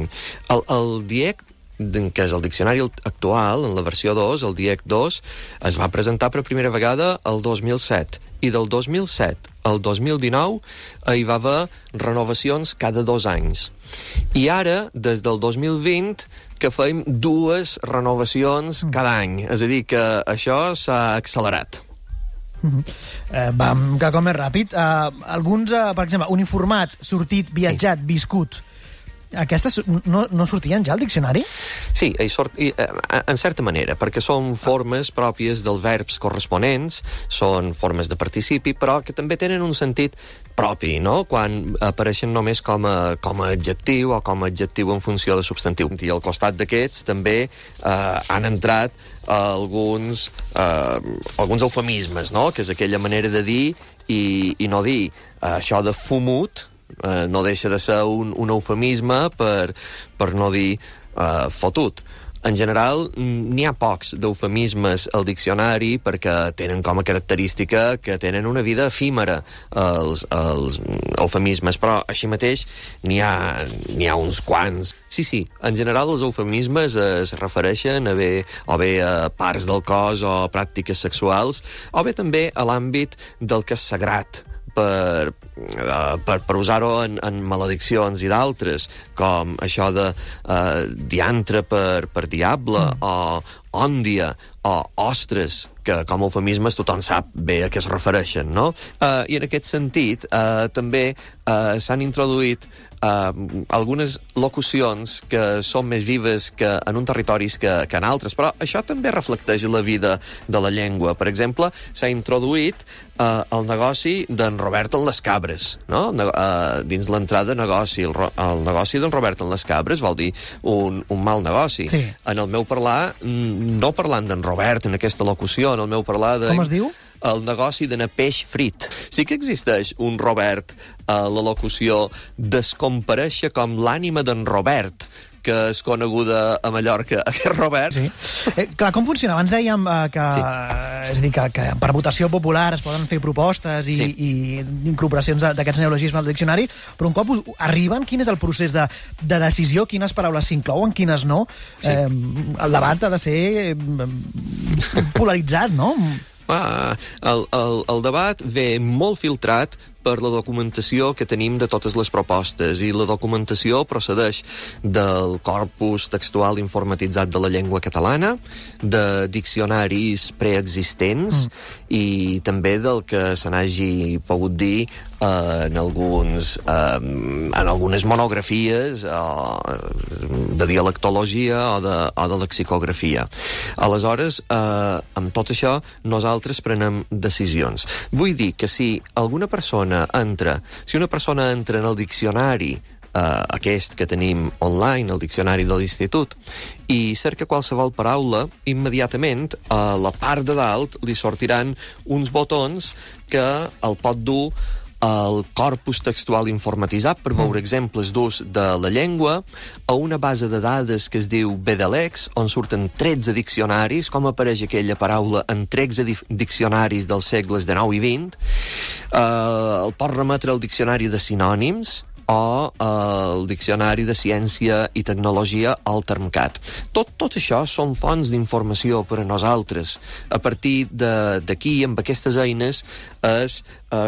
any. El DIEC, que és el diccionari actual, en la versió 2, el DIEC 2, es va presentar per primera vegada el 2007, i del 2007 al 2019 hi va haver renovacions cada 2 anys. I ara, des del 2020, que fem 2 renovacions cada any. És a dir, que això s'ha accelerat. Vam cada cop més ràpid. Alguns, per exemple, uniformat, sortit, viatjat, viscut, aquestes no sortien ja al diccionari? Sí, en certa manera, perquè són formes pròpies dels verbs corresponents, són formes de participi, però que també tenen un sentit propi, no?, quan apareixen només com a adjectiu o com a adjectiu en funció de substantiu. I al costat d'aquests també han entrat alguns eufemismes, no?, que és aquella manera de dir i no dir. Això de fumut no deixa de ser un eufemisme per no dir fotut. En general, n'hi ha pocs d'eufemismes al diccionari perquè tenen com a característica que tenen una vida efímera els eufemismes, però així mateix n'hi ha uns quants. Sí, en general els eufemismes es refereixen o bé a parts del cos o pràctiques sexuals, o bé també a l'àmbit del que és sagrat, per usar-ho en malediccions i d'altres, com això de diantre per diable, o òndia, o ostres, que com a eufemismes tothom sap bé a què es refereixen, no? I en aquest sentit també s'han introduït algunes locucions que són més vives que en un territoris que en altres, però això també reflecteix la vida de la llengua. Per exemple, s'ha introduït el negoci d'en Robert en les cabres, no? Dins l'entrada negoci. El negoci d'en Robert en les cabres vol dir un mal negoci. Sí. En el meu parlar, no parlant d'en Robert en aquesta locució, en el meu parlar de... Com es diu? El negoci d'anar peix frit. Sí que existeix un Robert a la locució descomparèixer com l'ànima d'en Robert, que és coneguda a Mallorca, aquest Robert. Sí. Clar, com funciona? Abans dèiem que, és a dir, que per votació popular es poden fer propostes i incorporacions d'aquests neologismes al diccionari, però un cop arriben, quin és el procés de decisió? Quines paraules s'inclouen, quines no? Sí. El debat ha de ser polaritzat, no? El debat ve molt filtrat per la documentació que tenim de totes les propostes, i la documentació procedeix del corpus textual informatitzat de la llengua catalana, de diccionaris preexistents i també del que se n'hagi pogut dir en algunes monografies de dialectologia o de lexicografia. Aleshores, amb tot això, nosaltres prenem decisions. Vull dir que si una persona entra en el diccionari aquest que tenim online, el diccionari de l'Institut, i cerca qualsevol paraula, immediatament a la part de dalt li sortiran uns botons que el pot dur al corpus textual informatitzat per veure exemples d'ús de la llengua, a una base de dades que es diu BDLEX, on surten 13 diccionaris, com apareix aquella paraula en 13 diccionaris dels segles XIX i XX, el pot remetre al diccionari de sinònims, o el Diccionari de Ciència i Tecnologia, el Termcat. Tot això són fonts d'informació per a nosaltres. A partir d'aquí, amb aquestes eines, es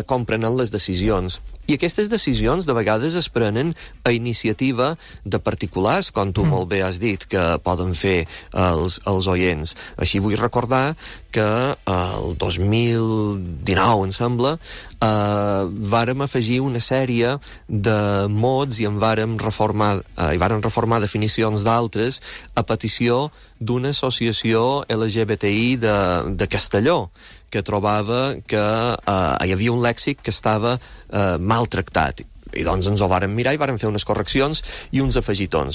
comprenen les decisions. I aquestes decisions de vegades es prenen a iniciativa de particulars, com tu molt bé has dit, que poden fer els oients. Així vull recordar que el 2019, em sembla, vàrem afegir una sèrie de mots i vàrem reformar definicions d'altres a petició d'una associació LGBTI de Castelló, que trobava que hi havia un lèxic que estava maltractat. I doncs ens ho vàrem mirar i vàrem fer unes correccions i uns afegitons.